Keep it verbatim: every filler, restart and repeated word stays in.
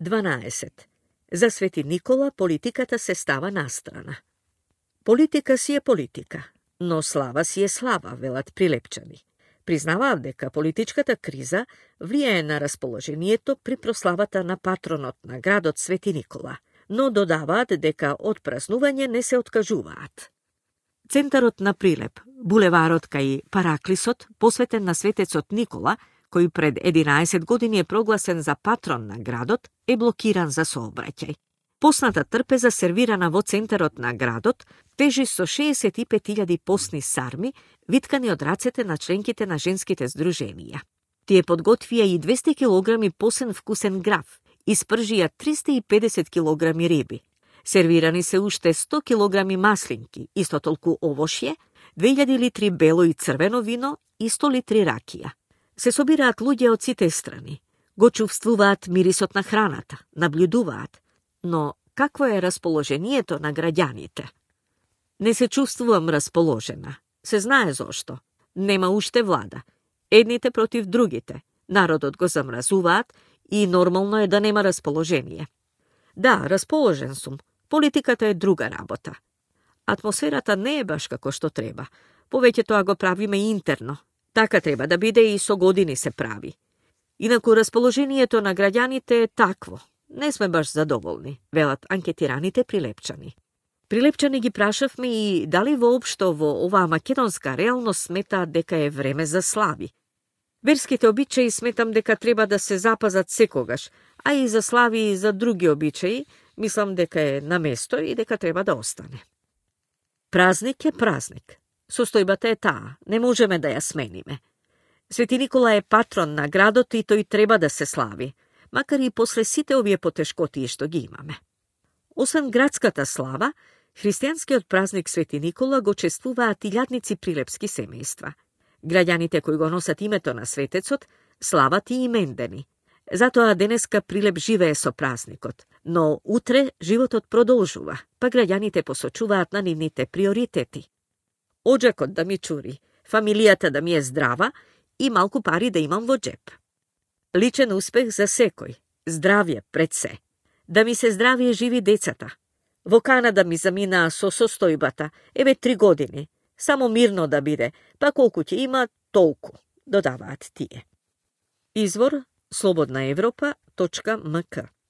дванаесет. За Свети Никола политиката се става настрана. Политика си е политика, но слава си е слава, велат Прилепчани. Признаваат дека политичката криза влијае на расположението при прославата на патронот на градот Свети Никола, но додаваат дека од празнување не се откажуваат. Центарот на Прилеп, булеварот кај Параклисот, посветен на светецот Никола, кој пред единаесет години е прогласен за патрон на градот, е блокиран за сообраќај. Посната трпеза сервирана во центарот на градот тежи со шеесет и пет илјади посни сарми, виткани од рацете на членките на женските здруженија. Тие подготвија и двесте килограми посен вкусен граф, испржија триста и педесет килограми риби. Сервирани се уште сто килограми маслинки, исто толку овошје, две илјади литри бело и црвено вино и сто литри ракија. Се собираат луѓе од сите страни, го чувствуваат мирисот на храната, наблюдуваат, но какво е расположението на граѓаните? Не се чувствувам расположена. Се знае зошто. Нема уште влада. Едните против другите. Народот го замразуваат и нормално е да нема расположение. Да, расположен сум. Политиката е друга работа. Атмосферата не е баш како што треба. Повеќе тоа го правиме интерно. Така треба да биде и со години се прави. Инаку расположението на граѓаните е такво. Не сме баш задоволни, велат анкетираните Прилепчани. Прилепчани ги прашавме и дали воопшто во оваа македонска реалност сметаат дека е време за слави. Верските обичаи сметам дека треба да се запазат секогаш, а и за слави и за други обичаи мислам дека е на место и дека треба да остане. Празник е празник. Состојбата е таа, не можеме да ја смениме. Свети Никола е патрон на градот и тој треба да се слави, макар и после сите овие потешкотии што ги имаме. Освен градската слава, христијанскиот празник Свети Никола го чествуваат илјадници прилепски семејства. Граѓаните кои го носат името на светецот слават и имендени. Затоа денеска Прилеп живее со празникот, но утре животот продолжува, па граѓаните посочуваат на нивните приоритети. Оджакот да ми чури, фамилијата да ми е здрава и малку пари да имам во джеп. Личен успех за секој, здравје пред се. Да ми се здрави и живи децата. Во Канада ми заминаа со состојбата, еве три години. Само мирно да биде, па колку ќе има, толку, додаваат тие. Извор слободна европа точка м к